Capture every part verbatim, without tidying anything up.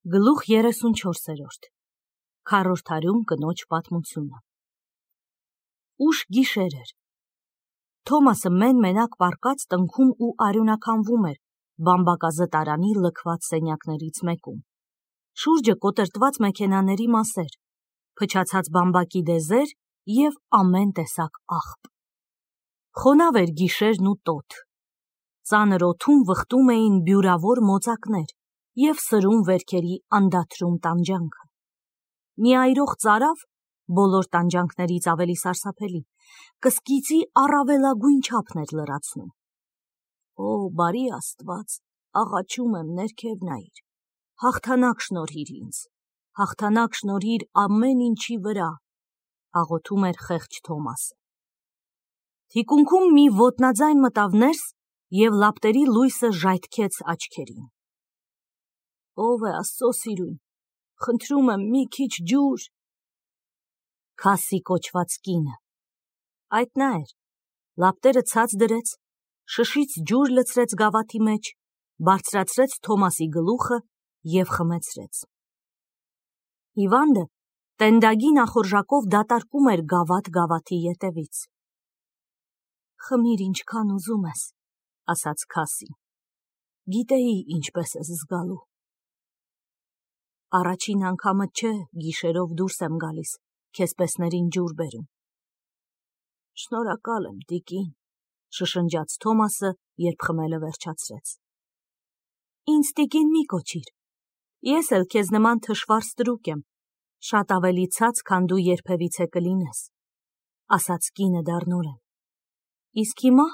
Գլուխ երեսունչորսերորդ Քառորդարյուն կնոջ պատմությունը Ուշ գիշեր էր։ Թոմասը մեն-մենակ պառկած տնքում ու արյունականվում էր բամբակազտարանի լքված սենյակներից մեկում։ Շուրջը կոտրտված մեքենաների մասեր, փչացած բամբակի դեզեր և ամեն տեսակ աղբ։ Խոնավ էր գիշերն ու տոթ։ Ծանր օդում վխտում էին բյուրավոր մոծակներ և սրում վերքերի անդադրում տանջանքը։ Մի այրող ծարավ, բոլոր տանջանքներից ավելի սարսափելի, կսկիծի առավելագույն չափն էր լրացնում։ Օ, բարի Աստված, աղաչում եմ, ներքև նայիր, հաղթանակ շնորհիր ինձ, հաղթանակ շնորհիր ամեն ինչի վրա, աղոթում էր խեղճ Թոմասը։ Թիկունքում մի ոտնաձայն մտավ ներս և լապտերի լույսը ժայթքեց աչքերին։ Ով է Աստծո սիրուն, խնդրում եմ մի քիչ ջուր։ Քասի կոչված կինը։ Այդ նա էր, լապտերը ցած դրեց, շշից ջուր լցրեց գավաթի մեջ, բարձրացրեց Թոմասի գլուխը և խմեցրեց։ Հիվանդը տենդագի նախորժակով դատարկում էր գավաթ-գավաթի ետևից։ Խմիր ինչքան ուզում ես, ասաց Քասին, գիտեի ինչպես ես զգալու։ Առաջին անգամդ չէ գիշերով դուրս եմ գալիս, քեզ պեսներին ջուր բերում։ Շնորհակալ եմ, տիկին, շշնջաց Թոմասը, երբ խմելը վերջացրեց։ Ինձ տիկին մի կոչիր, ես էլ քեզ նման թշվառ ստրուկ եմ, շատ ավելի ցած, քան դու երբևիցե կլինես, ասաց կինը դառնորեն։ Իսկ հիմա,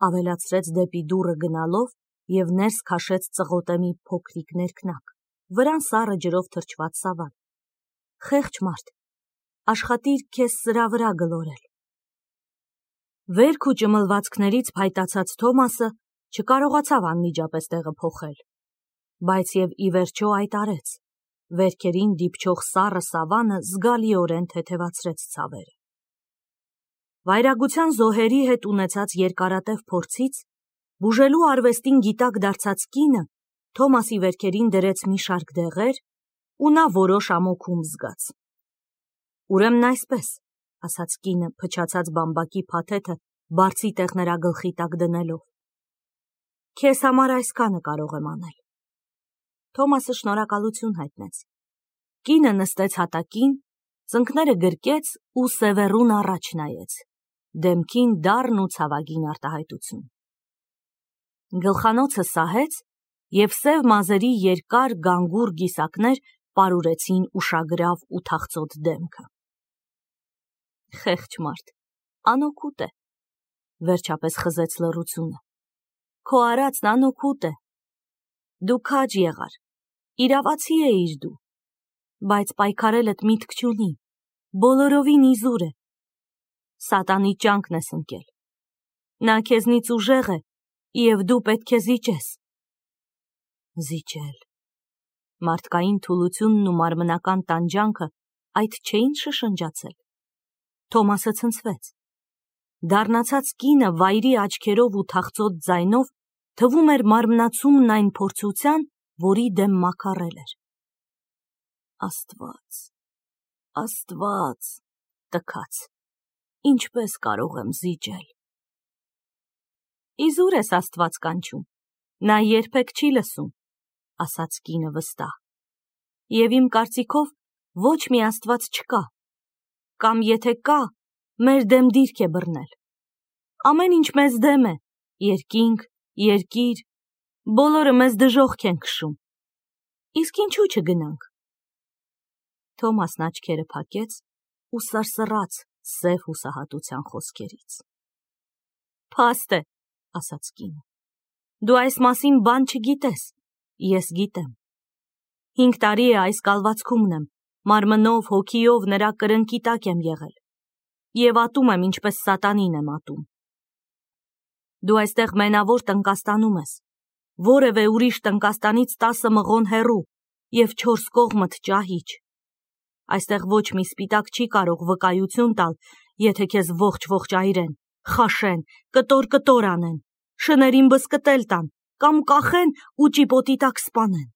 ավելացրեց դեպի դուռը գնալով և ներս քաշեց ծղոտե մի փոքրիկ ներքնակ, վրան սառը ջրով թրջված սավան։ Խեղճ մարդ, աշխատիր քեզ սրա վրա գլորել։ Վերք ու ճմլվածքներից փայտացած Թոմասը չկարողացավ անմիջապես տեղը փոխել, բայց և ի վերջո այդ արեց, վերքերին դիպչող սառը սավանը զգալիորեն թեթևացրեց ցավերը։ Վայրագության զոհերի հետ ունեցած երկարատև փորձից, բուժելու արվեստին գիտակ դարձած կինը Թոմասի վերքերին դրեց մի շարք դեղեր ու նա որոշ ամոքում զգաց։ Ուրեմն այսպես, ասաց կինը փչացած բամբակի փաթեթը բարձի տեղ նրա գլխի տակ դնելով։ Քեզ համար այսքանը կարող եմ անել։ Թոմասը շնորհակալություն հայտնեց։ Կինը նստեց հատակին, ծնկները գրկեց ու սևեռուն առաջ նայեց, դեմքին դառն ու ցավագին արտահայտություն։ Գլխանոցը սահեց և սև մազերի երկար գանգուր գիսակներ պարուրեցին ուշագրավ ու թախծոտ դեմքը։ Խեղճ մարդ, անօգուտ է, վերջապես խզեց լռությունը։ Քո արածն անօգուտ է։ Դու քաջ եղար, իրավացի էիր դու, բայց պայքարելդ միտք չունի, բոլորովին իզուր է։ Սատանի ճանկն ես ընկել։ Նա քեզնից ուժեղ է, և դու պետք է զիջես։ Զիջել։ Մարդկային թուլությունն ու մարմնական տանջանքը այդ չէին շշնջացել։ Թոմասը ցնցվեց։ Դառնացած կինը վայրի աչքերով ու թախծոտ ձայնով թվում էր մարմնացումն այն փորձության, որի դեմ մաքարել էր։ Աստված, Աստված, տքաց, ինչպես կարող եմ զիջել։ Իզուր ես Աստված կանչում, նա երբեք չի լսում, ասաց կինը վստահ։ Եվ իմ կարծիքով ոչ մի Աստված չկա, կամ եթե կա, մեր դեմ դիրք է բռնել։ Ամեն ինչ մեզ դեմ է, երկինք, երկիր, բոլորը մեզ դժոխք են քշում։ Իսկ ինչու չգնանք։ Թոմասն աչքերը փակեց ու սրսռաց սև հուսահատության խոսքերից։ Փաստ է, ասաց կինը, դու այս մասին բան չգիտես, ես գիտեմ։ Հինգ տարի է այս կալվածքումն եմ, մարմնով, հոգիով նրա կրնկի տակ եմ եղել, և ատում եմ, ինչպես սատանին եմ ատում։ Դու այստեղ մենավոր տնկաստանում ես, որևէ ուրիշ տնկաստանից տասը մղոն հեռու և չորս կողմդ ճահիճ։ Այստեղ ոչ մի սպիտակ չի կարող վկայություն տալ, եթե քեզ ողջ-ողջ այրեն, խաշեն, կտոր-կտոր անեն, շներին բզկտել տան, կամ կախեն ու ճիպոտի տակ սպանեն։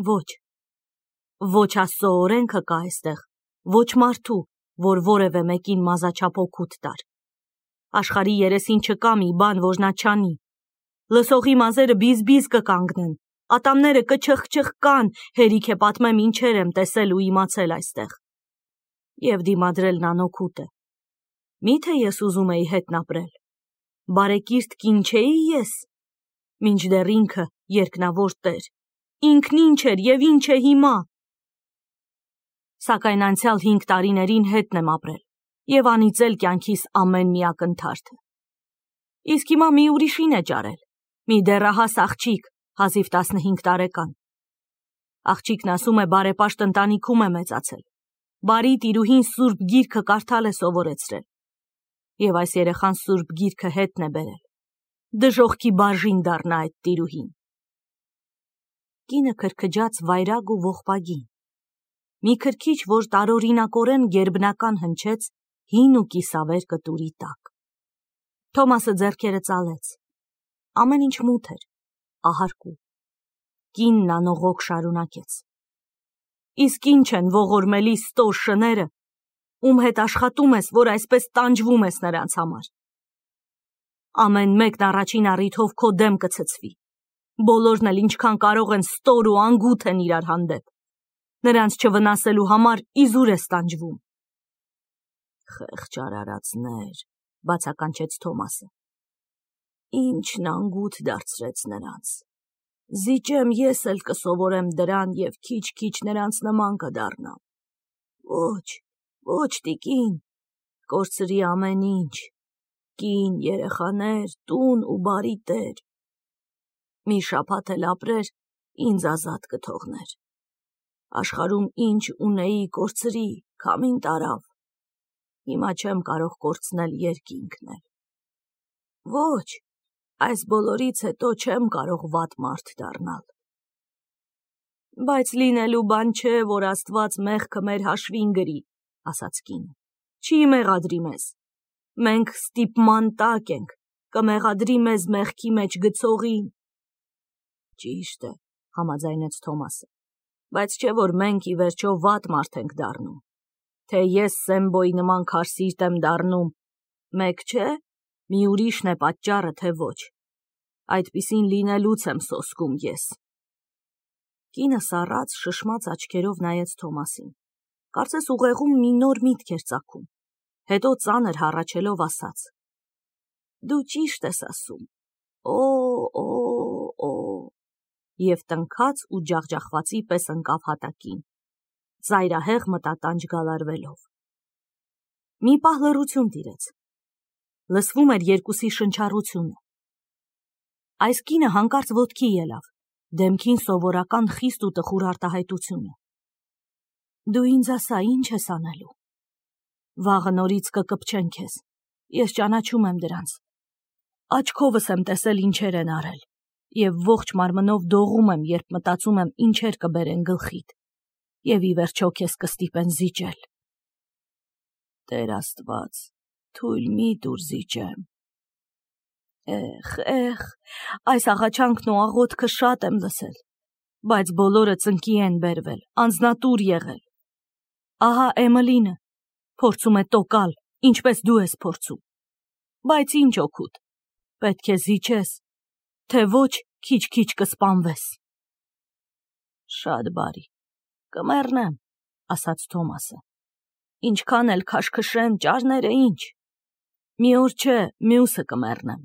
Ոչ, ոչ Աստծո օրենքը կա այստեղ, ոչ մարդու, որ որևէ մեկին մազաչափ օգուտ տար։ Աշխարհի երեսին չկա մի բան, որ նա չանի։ Լսողի մազերը բիզ-բիզ կկանգնեն, ատամները կչխչխկան, հերիք է պատմեմ ինչեր եմ տեսել ու իմացել այստեղ։ Եվ դիմադրելն անօգուտ է։ Միթե ես ուզում էի հետն ապրել, բարեկիրթ կին չէի ես, մինչդեռ ինքը երկնավոր Տեր, ինքն ինչ էր և ինչ է հիմա։ Սակայն անցյալ հինգ տարիներին հետն եմ ապրել և անիծել կյանքիս ամեն մի ակնթարթը։ Իսկ հիմա մի ուրիշին է ճարել, մի դեռահաս աղջիկ, հազիվ տասնհինգ տարեկան։ Աղջիկն ասում է բարեպաշտ ընտանիքում է մեծացել, բարի տիրուհին Սուրբ Գիրքը կարդալ է սովորեցրել, և այս երեխան Սուրբ Գիրքը հետն է բերել, դժոխքի բաժին դառնա այդ տիրուհին։ Կինը քրքջաց վայրագ ու ողբագին, մի քրքիջ, որ տարօրինակորեն գերբնական հնչեց հին ու կիսավեր կտուրի տակ։ Թոմասը ձեռքերը ծալեց, ամեն ինչ մութ էր, ահարկու։ Կինն անողոք շարունակեց. Իսկ ինչ են ողորմելի ստոր շները, ում հետ աշխատում ես, որ այսպես տանջվում ես նրանց համար։ Ամեն մեկն առաջին առիթով քո դեմ կցցվի, բոլորն էլ ինչքան կարող են ստոր ու անգութ են իրար հանդեպ, նրանց չվնասելու համար իզուր ես տանջվում։ Խեղճ արարածներ, բացականչեց Թոմասը, ինչն անգութ դարձրեց նրանց։ Զիջեմ ես էլ կսովորեմ դրան և քիչ-քիչ նրանց նման կդառնամ։ Ոչ, ոչ տիկին, կորցրի ամեն ինչ, կին, երեխաներ, տուն ու բարի տեր։ Մի շաբաթ էլ ապրեր, ինձ ազատ կթողներ։ Աշխարհում ինչ ունեի կորցրի, քամին տարավ։ Հիմա չեմ կարող կորցնել երկինքն էլ։ Ոչ, այս բոլորից հետո չեմ կարող վատ մարդ դառնալ։ Բայց լինելու բան չէ, որ Աստված մեղքը մեր հաշվին գրի, ասաց կինը, չի մեղադրի մեզ։ Մենք ստիպման տակ ենք, կմեղադրի մեզ մեղքի մեջ գցողին։ Ճիշտ է, համաձայնեց Թոմասը, բայց չէ որ մենք ի վերջո վատ մարդ ենք դառնում։ Թե ես Սեմբոյի նման քարսիրտ եմ դառնում, մեկ չէ, մի ուրիշն է պատճառը, թե ոչ։ Այդպիսին լինելուց եմ սոսկում ես։ Կինը սառած, շշմած աչքերով նայեց Թոմասին, կարծես ուղեղում մի նոր միտք էր ծագում, հետո ծանր հառաչելով ասաց. Դու ճիշտ ես ասում, օ, օ, օ, և տնքաց ու ջախջախվածի պես ընկավ հատակին, ծայրահեղ մտատանջ գալարվելով։ Մի պահ լռություն տիրեց, լսվում էր երկուսի շնչառությունը։ Այս կինը հանկարծ ոտքի ելավ, դեմքին սովորական խիստ ու տխուր արտահայտությունը։ Դու ինձ ասա, ինչ ես անելու։ Վաղը նորից կկպչեն քեզ, ես ճանաչում եմ դրանց։ Աչքովս եմ տեսել ինչեր են արել, և ողջ մարմնով դողում եմ, երբ մտածում եմ ինչեր կբերեն գլխիդ, և ի վերջո քեզ կստիպեն զիջել։ Տեր Աստված, թույլ մի տուր զիջեմ։ Էխ, էխ, այս աղաչանքն ու աղոթքը շատ եմ լսել, բայց բոլորը ծնկի են բերվել, անձնատուր եղել։ Ահա Էմելինը փորձում է տոկալ, ինչպես դու ես փորձում։ Բայց ինչ օգուտ, պետք է զիջես, թե ոչ քիչ-քիչ կսպանվես։ Շատ բարի, կմեռնեմ, ասաց Թոմասը։ Ինչքան էլ քաշքշեն ճարները ինչ։ Մի օր չէ, մյուսը կմեռնեմ։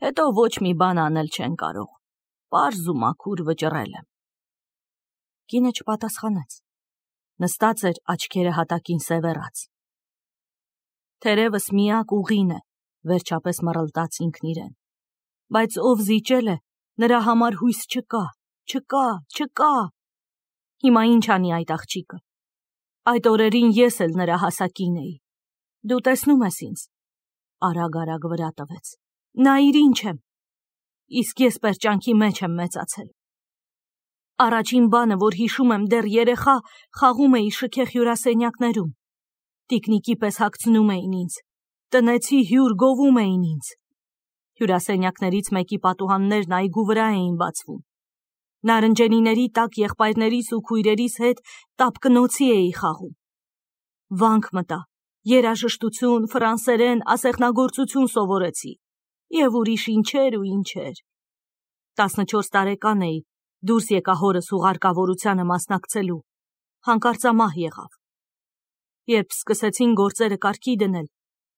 Հետո ոչ մի բան անել չեն կարող, պարզ ու մաքուր վճռել եմ։ Կինը չպատասխանեց, նստած էր աչքերը հատակին սևեռած։ Թերևս միակ ուղին է, վերջապես մռլտաց ինքն իրեն, բայց ով զիջել է, նրա համար հույս չկա, չկա, չկա։ Հիմա ինչ անի այդ աղջիկը։ Այդ օրերին ես էլ նրա հասակին էի։ Դու տեսնում ես ինձ։ Արագ-արագ վրա տվեց։ Նայիր ինչ եմ։ Իսկ ես պերճանքի մեջ եմ մեծացել։ Առաջին բանը, որ հիշում եմ, դեռ երեխա խաղում էի շքեղ հյուրասենյակներում։ Տիկնիկի պես հագցնում էին ինձ, տնեցի հյուր գովում էին ինձ։ Հյուրասենյակներից մեկի պատուհաններն այգու վրա էին բացվում։ Նարնջենիների տակ եղբայրներիս ու քույրերիս հետ տապկնոցի էի խաղում։ Վանք մտա, երաժշտություն, ֆրանսերեն, ասեղնագործություն սովորեցի և ուրիշ ինչեր ու ինչեր։ տասնչորս տարեկան էի, դուրս եկա հորս ուղարկավորությանը մասնակցելու, հանկարծամահ եղավ։ Երբ սկսեցին գործերը կարգի դնել,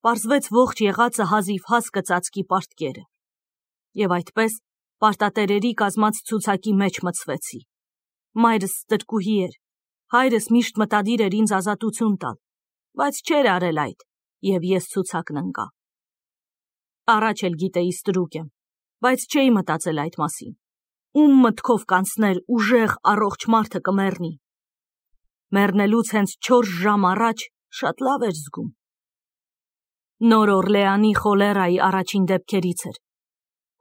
պարզվեց ողջ եղածը հազիվ-հազ կծածկի պարտքերը։ Եվ այդպես պարտատերերի կազմած ցուցակի մեջ մտցվեցի։ Մայրս ստրկուհի էր, հայրս միշտ մտադիր էր ինձ ազատություն տալ, բայց չէր արել այդ, և ես ցուցակն ընկա։ Առաջ էլ գիտեի ստրուկ եմ, բայց չէի մտածել այդ մասին։ Ում մտքով կանցներ ուժեղ առողջ մարդը կմեռնի։ Մեռնելուց հենց չորս ժամ առաջ շատ լավ էր զգում։ Նոր Օրլեանի խոլերայի առաջին դեպքերից էր։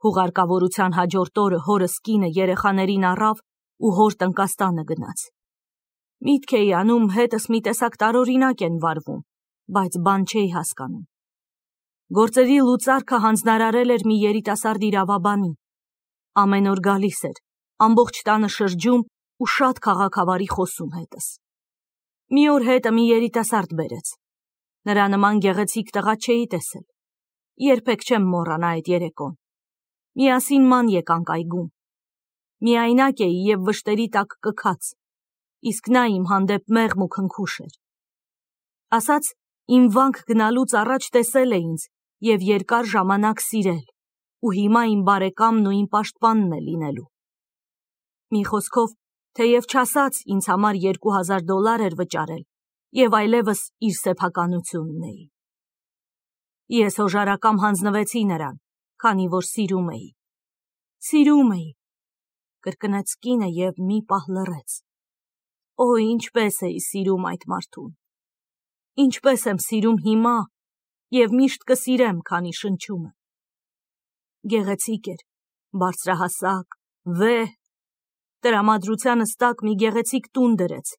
Հուղարկավորության հաջորդ օրը հորս կինը երեխաներին առավ ու հոր տնկաստանը գնաց։ Միտք էի անում հետս մի տեսակ տարօրինակ են վարվում, բայց բան չէի հասկանում։ Գործերի լուծարքը հանձնարարել էր մի երիտասարդ իրավաբանի։ Ամեն օր գալիս էր, ամբողջ տանը շրջում ու շատ քաղաքավարի խոսում հետս։ Մի օր հետը մի երիտասարդ բերեց։ Նրա նման գեղեցիկ տղա չէի տեսել։ Երբեք չեմ մոռանա այդ երեկոն։ Միասին ման եկանք այգում։ Միայնակ էի և վշտերի տակ կքած, իսկ նա իմ հանդեպ մեղմ ու քնքուշ էր։ Ասաց իմ վանք գնալուց առաջ տեսել է ինձ և երկար ժամանակ սիրել, ու հիմա իմ բարեկամն ու իմ պաշտպանն է լինելու։ Մի խոսքով, թեև չասաց ինձ համար երկու հազար դոլար էր վճարել և այլևս իր սեփականությունն էի։ Ես հոժարակամ հանձնվեցի նրան, քանի որ սիրում էի։ Սիրում էի, կրկնեց կինը և մի պահ լռեց։ Օ, ինչպես էի սիրում այդ մարդուն։ Ինչպես եմ սիրում հիմա և միշտ կսիրեմ, քանի շնչում եմ։ Գեղեցիկ էր, բարձրահասակ, վեհ, տրամադրությանս տակ մի գեղեցիկ տուն դրեց,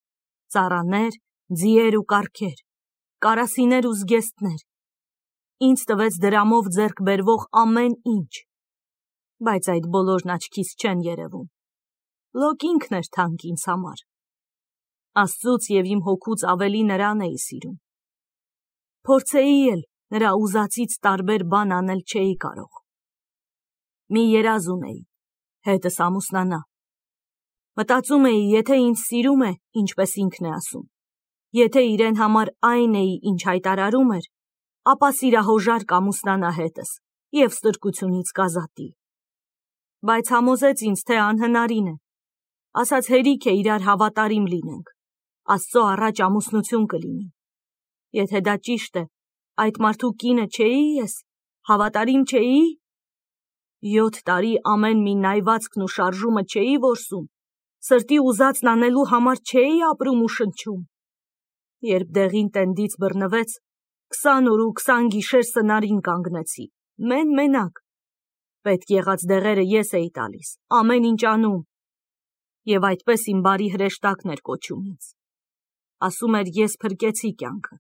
ծառաներ, ձիեր ու կառքեր, կարասիներ ու զգեստներ, ինձ տվեց դրամով ձեռք բերվող ամեն ինչ, բայց այդ բոլորն աչքիս չեն երևում։ Լոկ ինքն էր թանկ ինձ համար։ Աստծուց և իմ հոգուց ավելի նրան էի սիրում։ Փորձեի էլ, նրա ուզածից տարբեր բան անել չէի կարող։ Մի երազ ունեի, հետս ամուսնանա։ Մտածում էի, եթե ինձ սիրում է, ինչպես ինքն է ասում, եթե իրեն համար այն էի, ինչ հայտարարում էր, ապա սիրահոժարկ ամուսնանա հետս և ստրկությունից կազատի։ Բայց համոզեց ինձ, թե անհնարին է։ Ասաց հերիք է իրար հավատարիմ լինենք, Աստծո առաջ ամուսնություն կլինի։ Եթե դա ճիշտ է, այդ մարդու կինը չէի ես, հավատարիմ չէի։ Յոթ տարի ամեն մի նայվածքն ու շարժումը չէի որսում, սրտի ուզածն անելու համար չէի ապրում ու շնչում։ Երբ դեղին տենդից բռնվեց, քսան օր ու քսան գիշեր սնարին կանգնեցի, մեն մենակ։ Պետք եղած դեղերը ես էի տալիս, ամեն ինչ անում։ Եվ այդպես իմ բարի հրեշտակն էր կոչում ինձ։ Ասում էր ես փրկեցի կյանքը։